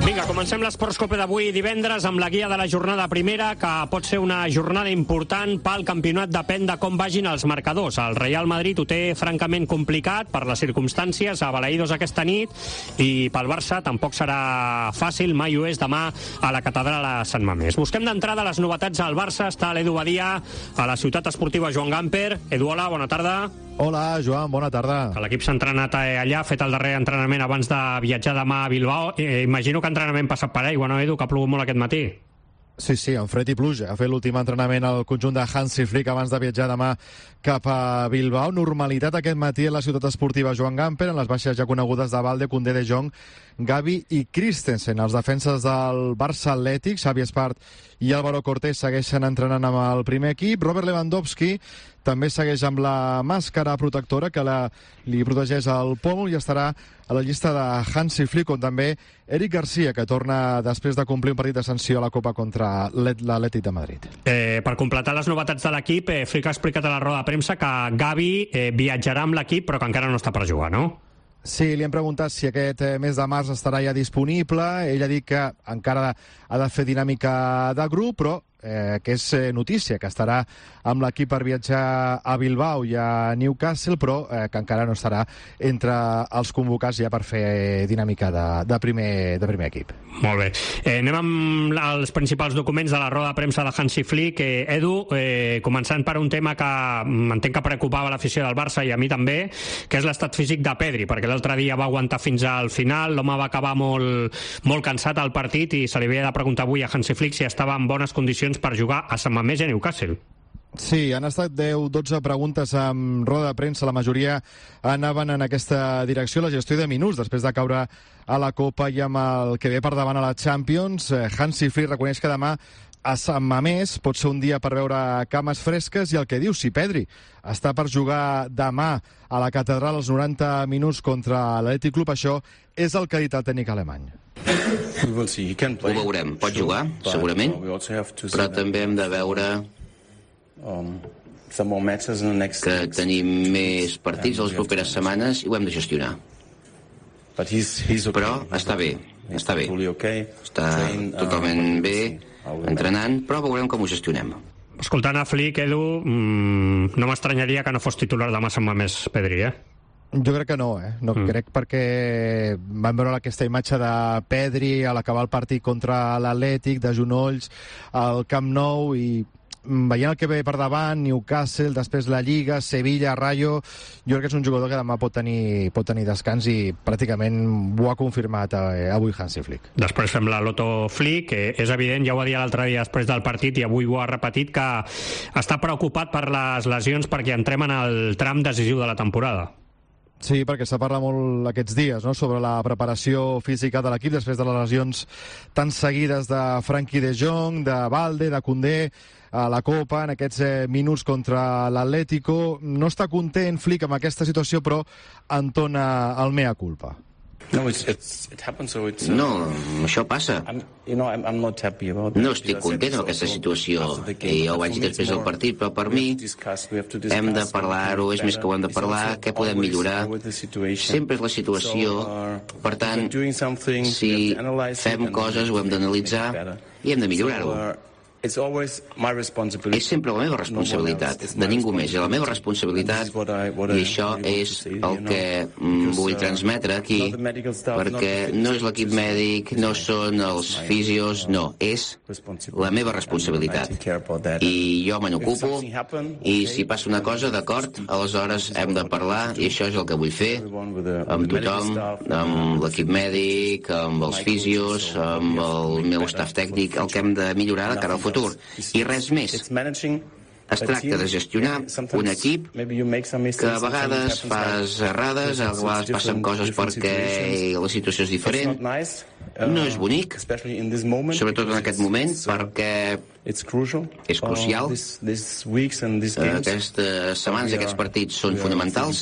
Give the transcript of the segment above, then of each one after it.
Vinga, comencem l'Esports Copa d'avui divendres amb la guia de la jornada primera, que pot ser una jornada important pel campionat, depèn de com vagin els marcadors. El Real Madrid ho té francament complicat per les circumstàncies, a Balaïdos aquesta nit, i pel Barça tampoc serà fàcil, mai ho és, demà a la catedral a Sant Mamés. Busquem d'entrada les novetats al Barça. Està l'Edu Badia a la ciutat esportiva Joan Gamper. Edu, hola, bona tarda. Hola, Joan, bona tarda. L'equip s'ha entrenat allà, ha fet el darrer entrenament abans de viatjar demà a Bilbao. Imagino que entrenament passat per aigua, no, Edu, que ha plogut molt aquest matí? Sí, amb fred i pluja. Ha fet l'últim entrenament al conjunt de Hansi Flick abans de viatjar demà cap a Bilbao. Normalitat aquest matí a la ciutat esportiva Joan Gamper, en les baixes ja conegudes de Valde, Koundé, De Jong, Gavi i Christensen. Els defenses del Barça Atlètic, Xavi Espart i Álvaro Cortés, segueixen entrenant amb el primer equip. Robert Lewandowski també segueix amb la màscara protectora que li protegeix el pòmul i estarà a la llista de Hansi Flick, on també Eric Garcia, que torna després de complir un partit de sanció a la Copa contra l'Atlètic de Madrid. Per completar les novetats de l'equip, Flick ha explicat a la roda de premsa que Gavi viatjarà amb l'equip, però que encara no està per jugar, no? Sí, li hem preguntat si aquest mes de març estarà ja disponible. Ell ha dit que encara ha de fer dinàmica de grup, però que és notícia, que estarà amb l'equip per viatjar a Bilbao i a Newcastle, però que encara no estarà entre els convocats ja per fer dinàmica de primer equip. Molt bé. Anem amb els principals documents de la roda de premsa de Hansi Flick. Edu, començant per un tema que entenc que preocupava l'afició del Barça i a mi també, que és l'estat físic de Pedri, perquè l'altre dia va aguantar fins al final, l'home va acabar molt cansat al partit i se li havia de preguntar avui a Hansi Flick si estava en bones condicions per jugar a Sant Mamés i a Newcastle. Sí, han estat 10-12 preguntes amb roda de premsa, la majoria anaven en aquesta direcció. La gestió de minuts després de caure a la Copa i amb el que ve per davant a la Champions. Hansi Flick reconeix que demà a Sant Mamés pot ser un dia per veure cames fresques, i el que diu, si Pedri està per jugar demà a la catedral als 90 minuts contra l'Atlètic Club, això és el que ha dit el tècnic alemany. Ho veurem, pot jugar, segurament, però també hem de veure que tenim més partits a les properes setmanes i ho hem de gestionar. Però està bé, està totalment bé, entrenant, però veurem com ho gestionem. Escoltant a Flick, Edu, no m'estranyaria que no fos titular demà a Sant Mamés, Pedri, Jo crec que no, crec, perquè vam veure aquesta imatge de Pedri a l'acabar el partit contra l'Atlètic, de genolls al Camp Nou, i veient el que ve per davant, Newcastle, després la Lliga, Sevilla, Rayo, jo crec que és un jugador que demà pot tenir descans, i pràcticament ho ha confirmat avui Hansi Flick. Després fem la loto Flick, que és evident, ja ho va dir l'altre dia després del partit i avui ho ha repetit, que està preocupat per les lesions perquè entrem en el tram decisiu de la temporada. Sí, perquè s'ha parlat molt aquests dies, sobre la preparació física de l'equip després de les lesions tan seguides de Frenkie de Jong, de Valde, de Koundé a la Copa, en aquests minuts contra l'Atlético. No està content Flick amb aquesta situació, però entona el mea culpa. No, això passa. No estic content amb aquesta situació, i jo ho vaig dir després del partit, però per mi hem de parlar-ho, és més que ho hem de parlar, què podem millorar. Sempre és la situació, per tant, si fem coses ho hem d'analitzar i hem de millorar-ho. És sempre la meva responsabilitat, de ningú més, és la meva responsabilitat, i això és el que vull transmetre aquí, perquè no és l'equip mèdic, no són els fisios, no, és la meva responsabilitat, i jo me n'ocupo, i si passa una cosa, d'acord, aleshores hem de parlar, i això és el que vull fer amb tothom, amb l'equip mèdic, amb els fisios, amb el meu staff tècnic, el que hem de millorar de cara al futur. I res més. Es tracta de gestionar un equip que a vegades fas errades, a vegades passen coses perquè la situació és diferent. No és bonic, sobretot en aquest moment, perquè és crucial. Aquestes setmanes, aquests partits són fonamentals,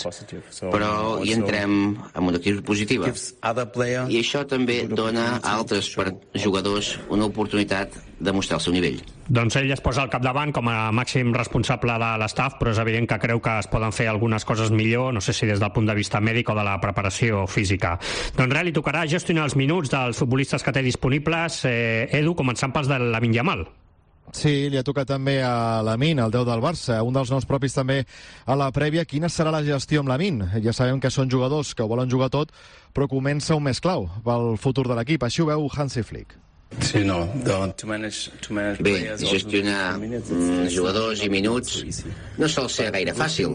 però hi entrem amb una actitud positiva. I això també dona a altres jugadors una oportunitat de mostrar el seu nivell. Doncs ell es posa al capdavant com a màxim responsable de l'estaf, però és evident que creu que es poden fer algunes coses millor, no sé si des del punt de vista mèdic o de la preparació física. Doncs res, li tocarà gestionar els minuts dels futbolistes que té disponibles, Edu, començant pels de Lamine Yamal. Sí, li ha tocat també a Lamine, el 10 del Barça, un dels noms propis també a la prèvia. Quina serà la gestió amb Lamine? Ja sabem que són jugadors que ho volen jugar tot, però comença un mes clau pel futur de l'equip. Així ho veu Hansi Flick. Bé, gestionar jugadors i minuts no sol ser gaire fàcil,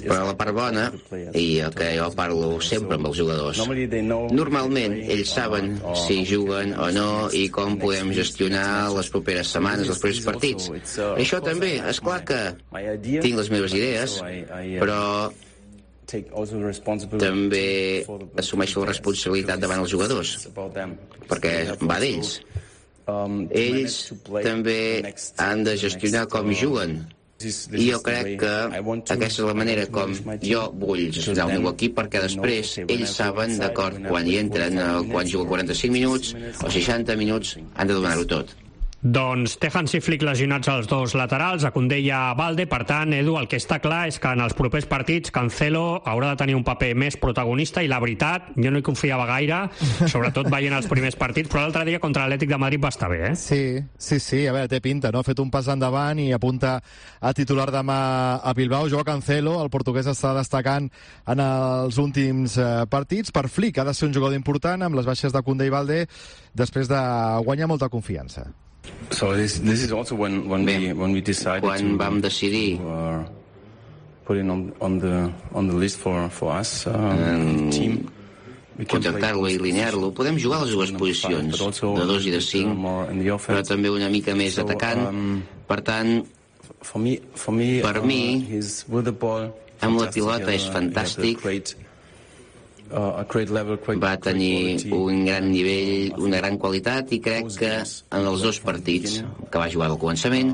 però la part bona, i el que jo parlo sempre amb els jugadors, normalment ells saben si juguen o no i com podem gestionar les properes setmanes, els propers partits. Això també, és clar que tinc les meves idees, però també assumeixo la responsabilitat davant els jugadors, perquè va d'ells. Ells també han de gestionar com juguen, i jo crec que aquesta és la manera com jo vull gestionar el meu equip, perquè després ells saben, d'acord, quan hi entren, quan juguen 45 minuts o 60 minuts, han de donar-ho tot. Doncs té Hansi Flick lesionats els dos laterals, a Koundé i a Balde. Per tant, Edu, el que està clar és que en els propers partits Cancelo haurà de tenir un paper més protagonista, i la veritat, jo no hi confiava gaire, sobretot veient els primers partits, però l'altre dia contra l'Atlètic de Madrid va estar bé, eh? Sí, a veure, té pinta, no? Ha fet un pas endavant i apunta a titular demà a Bilbao. Joao Cancelo, el portuguès, està destacant en els últims partits. Per Flick ha de ser un jugador important, amb les baixes de Koundé i Balde, després de guanyar molta confiança. Bé, quan vam decidir contractar-lo i alinear-lo, podem jugar a les dues posicions, de 2 i de 5, però també una mica més atacant. Per tant, per mi, amb la pilota és fantàstic. Va tenir un gran nivell, una gran qualitat, i crec que en els dos partits que va jugar al començament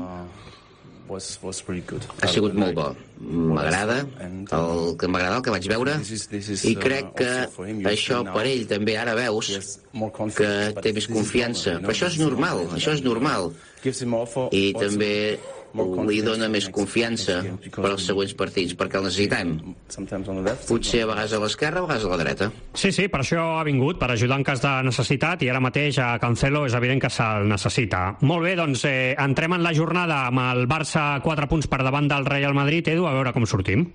ha sigut molt bo. M'agrada el que vaig veure, i crec que això per ell també ara veus que té més confiança, però això és normal, i també li dona més confiança per als següents partits, perquè el necessitem. Potser a vegades a l'esquerra, a vegades a la dreta. Sí, per això ha vingut, per ajudar en cas de necessitat, i ara mateix a Cancelo és evident que se'l necessita. Molt bé, doncs entrem en la jornada amb el Barça 4 punts per davant del Real Madrid. Edu, a veure com sortim.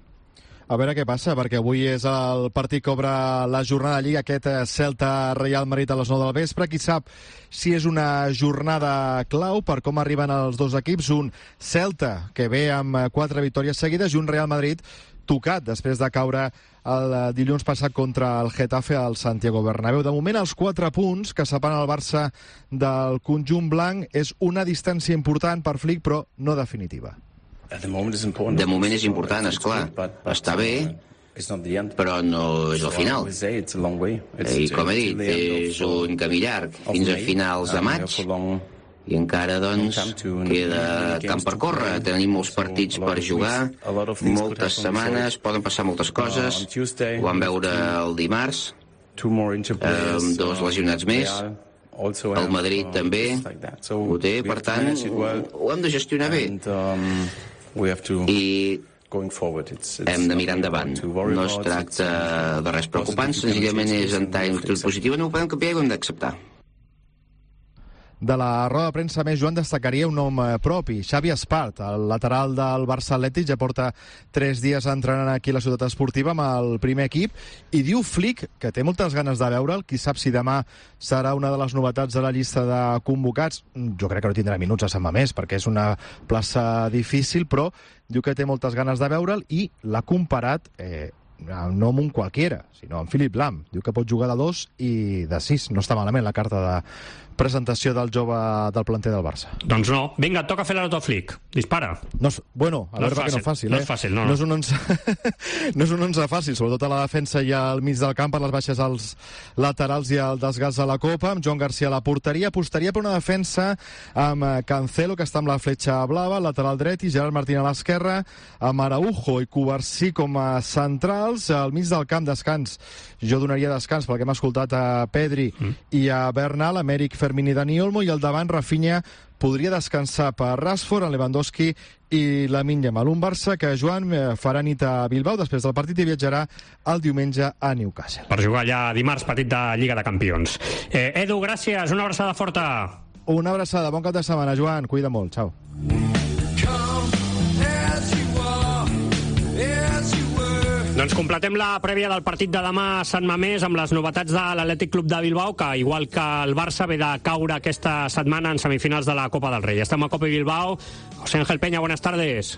A veure què passa, perquè avui és el partit que obre la jornada de Lliga, aquest Celta-Real Madrid a les 9 del vespre. Qui sap si és una jornada clau per com arriben els dos equips. Un Celta que ve amb 4 victòries seguides, i un Real Madrid tocat després de caure el dilluns passat contra el Getafe al Santiago Bernabéu. De moment, els 4 punts que separen el Barça del conjunt blanc és una distància important per Flick, però no definitiva. De moment és important, esclar. Està bé, però no és el final. I com he dit, és un camí llarg fins a finals de maig, i encara, doncs, queda camp per córrer. Tenim molts partits per jugar, moltes setmanes, poden passar moltes coses. Ho vam veure el dimarts, amb 2 lesionats més. El Madrid també ho té, per tant, ho hem de gestionar bé. I hem de mirar endavant. No es tracta de res preocupant, senzillament és entrar en actitud positiva. No ho podem canviar i ho hem d'acceptar. De la roda de premsa més, Joan, destacaria un nom propi, Xavi Espart, el lateral del Barça Atlètic. Ja porta 3 dies entrenant aquí a la ciutat esportiva amb el primer equip, i diu Flick que té moltes ganes de veure'l. Qui sap si demà serà una de les novetats de la llista de convocats. Jo crec que no tindrà minuts a Sant Mamés, perquè és una plaça difícil, però diu que té moltes ganes de veure'l, i l'ha comparat no amb un qualquiera, sinó amb Philipp Lahm. Diu que pot jugar de 2 i de 6. No està malament la carta de presentació del jove del planter del Barça. Doncs no. Vinga, et toca fer l'autoflic. Dispara. No, bueno, a veure perquè no és fàcil. No és fàcil, no. No és un 11 fàcil, sobretot a la defensa i al mig del camp per les baixes als laterals i el desgast de la Copa, amb Joan Garcia a la porteria. Apostaria per una defensa amb Cancelo, que està amb la fletxa blava, lateral dret, i Gerard Martín a l'esquerra, amb Araujo i Cubarsí com a centrals. Al mig del camp, descans. Jo donaria descans pel que hem escoltat a Pedri i a Bernal, Amèric, Fermín i Dani Olmo, i al davant Rafinha podria descansar per Rashford, en Lewandowski i Lamine Yamal. Un Barça que Joan farà nit a Bilbao després del partit i viatjarà el diumenge a Newcastle. Per jugar allà dimarts, partit de Lliga de Campions. Edu, gràcies, una abraçada forta. Una abraçada, bon cap de setmana, Joan, cuida molt, xau. Doncs completem la prèvia del partit de demà a Sant Mamés amb les novetats de l'Atlètic Club de Bilbao, que igual que el Barça ve de caure aquesta setmana en semifinals de la Copa del Rei. Estem a Copa Bilbao. José Ángel Peña, buenas tardes.